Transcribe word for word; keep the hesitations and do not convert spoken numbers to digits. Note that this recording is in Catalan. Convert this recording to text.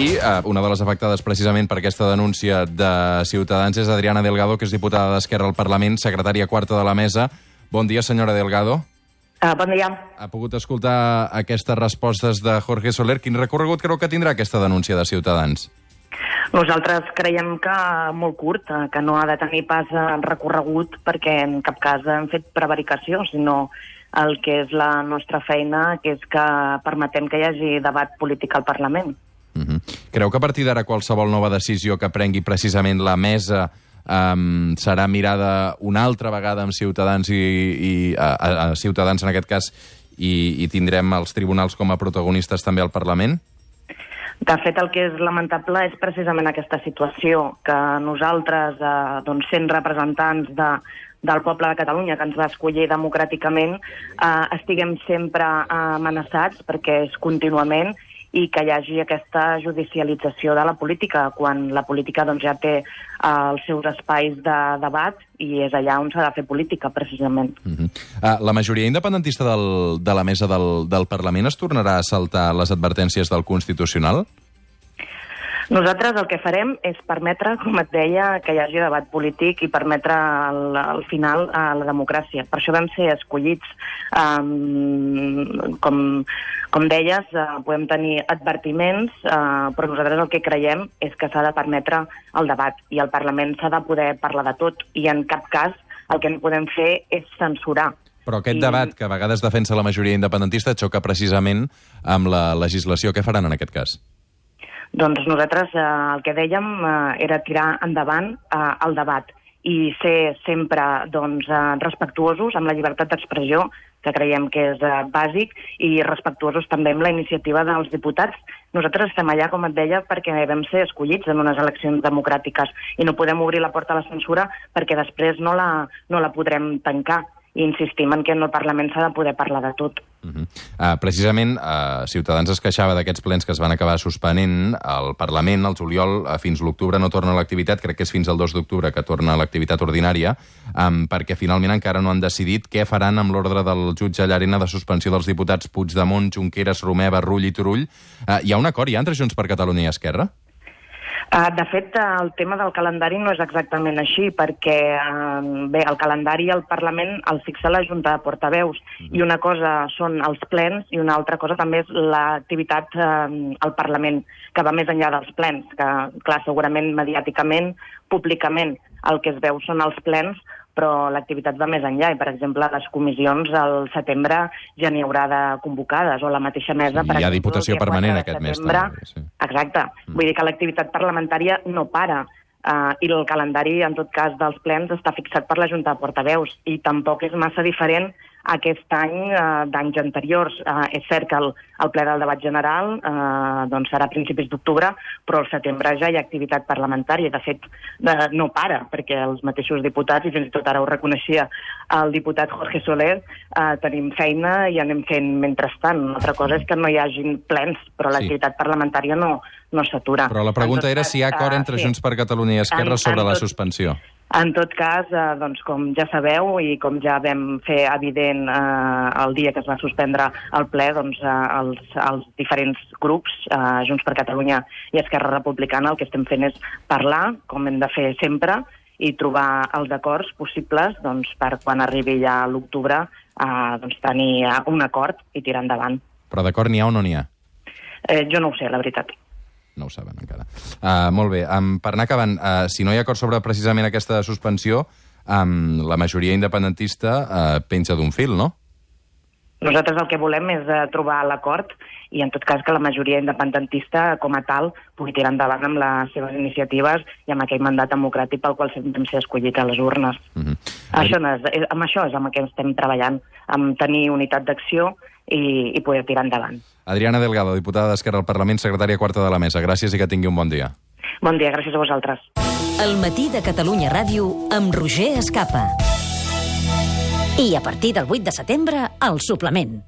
I eh, una de les afectades precisament per aquesta denúncia de Ciutadans és Adriana Delgado, que és diputada d'Esquerra al Parlament, secretària quarta de la mesa. Bon dia, senyora Delgado. Uh, bon dia. Ha pogut escoltar aquestes respostes de Jorge Soler. Quin recorregut creu que tindrà aquesta denúncia de Ciutadans? Nosaltres creiem que molt curt, que no ha de tenir pas recorregut perquè en cap cas hem fet prevaricació, sinó el que és la nostra feina, que és que permetem que hi hagi debat polític al Parlament. Uh-huh. Creu que a partir d'ara qualsevol nova decisió que prengui precisament la mesa um, serà mirada una altra vegada amb Ciutadans i, i a, a Ciutadans en aquest cas i, i tindrem els tribunals com a protagonistes també al Parlament? De fet, el que és lamentable és precisament aquesta situació, que nosaltres, eh, doncs, sent representants de, del poble de Catalunya, que ens va escollir democràticament, eh, estiguem sempre amenaçats, perquè és contínuament, i que hi hagi aquesta judicialització de la política, quan la política doncs, ja té uh, els seus espais de debat i és allà on s'ha de fer política, precisament. Uh-huh. uh, la majoria independentista del, de la mesa del, del Parlament es tornarà a saltar les advertències del Constitucional? Nosaltres el que farem és permetre, com et deia, que hi hagi debat polític i permetre al, al final a la democràcia. Per això vam ser escollits. Um, com, com deies, uh, podem tenir advertiments, uh, però nosaltres el que creiem és que s'ha de permetre el debat i al Parlament s'ha de poder parlar de tot i en cap cas el que no podem fer és censurar. Però aquest I... debat que a vegades defensa la majoria independentista xoca precisament amb la legislació. Què faran en aquest cas? Doncs nosaltres eh, el que dèiem eh, era tirar endavant eh, el debat i ser sempre doncs, eh, respectuosos amb la llibertat d'expressió, que creiem que és eh, bàsic, i respectuosos també amb la iniciativa dels diputats. Nosaltres estem allà, com et deia, perquè vam ser escollits en unes eleccions democràtiques i no podem obrir la porta a la censura perquè després no la, no la podrem tancar. I insistim en que en el Parlament s'ha de poder parlar de tot. Uh-huh. uh, precisament, uh, Ciutadans es queixava d'aquests plens que es van acabar suspenent al Parlament, al juliol, uh, fins l'octubre no torna a l'activitat, crec que és fins al dos d'octubre que torna a l'activitat ordinària, um, perquè finalment encara no han decidit què faran amb l'ordre del jutge Llarena de suspensió dels diputats Puigdemont, Junqueras, Romeva, Rull i Turull. Uh, hi ha un acord ja entre Junts per Catalunya i Esquerra? Uh, de fet, uh, el tema del calendari no és exactament així, perquè uh, bé, el calendari al Parlament el fixa la Junta de Portaveus, mm-hmm. i una cosa són els plens i una altra cosa també és l'activitat uh, al Parlament, que va més enllà dels plens, que, clar, segurament mediàticament, públicament, el que es veu són els plens, però l'activitat va més enllà i, per exemple, les comissions al setembre ja n'hi haurà de convocades, o la mateixa mesa... Sí, per hi ha exemple, diputació permanent aquest mes. També, sí. Exacte. Mm. Vull dir que l'activitat parlamentària no para, uh, i el calendari, en tot cas, dels plens està fixat per la Junta de Portaveus, i tampoc és massa diferent aquest any uh, d'anys anteriors. Uh, és cert que el, el ple del debat general uh, doncs serà a principis d'octubre, però al setembre ja hi ha activitat parlamentària. De fet, uh, no para, perquè els mateixos diputats, i fins i tot ara ho reconeixia el diputat Jorge Soler, uh, tenim feina i anem fent mentrestant. Una altra cosa és que no hi hagin plens, però sí. L'activitat parlamentària no, no s'atura. Però la pregunta era si hi ha acord entre uh, sí. Junts per Catalunya i Esquerra en, sobre en tot... la suspensió. En tot cas, eh, doncs, com ja sabeu i com ja vam fer evident eh, el dia que es va suspendre el ple, doncs, eh, els, els diferents grups, eh, Junts per Catalunya i Esquerra Republicana, el que estem fent és parlar, com hem de fer sempre, i trobar els acords possibles doncs, per quan arribi ja a l'octubre eh, doncs, tenir un acord i tirar endavant. Però d'acord n'hi ha o no n'hi ha? Eh, jo no ho sé, la veritat. No ho saben encara. Uh, molt bé, um, per anar acabant, uh, si no hi ha acord sobre precisament aquesta suspensió, um, la majoria independentista uh, penja d'un fil, no? Nosaltres el que volem és uh, trobar l'acord i, en tot cas, que la majoria independentista, com a tal, pugui tirar endavant amb les seves iniciatives i amb aquell mandat democràtic pel qual vam ser escollit a les urnes. Uh-huh. Això no és, amb això és amb el que estem treballant, amb tenir unitat d'acció i, i poder tirar endavant. Adriana Delgado, diputada d'Esquerra al Parlament, secretària quarta de la mesa. Gràcies i que tingui un bon dia. Bon dia, gràcies a vosaltres. El matí de Catalunya Ràdio amb Roger Escapa. I a partir del vuit de setembre, el suplement.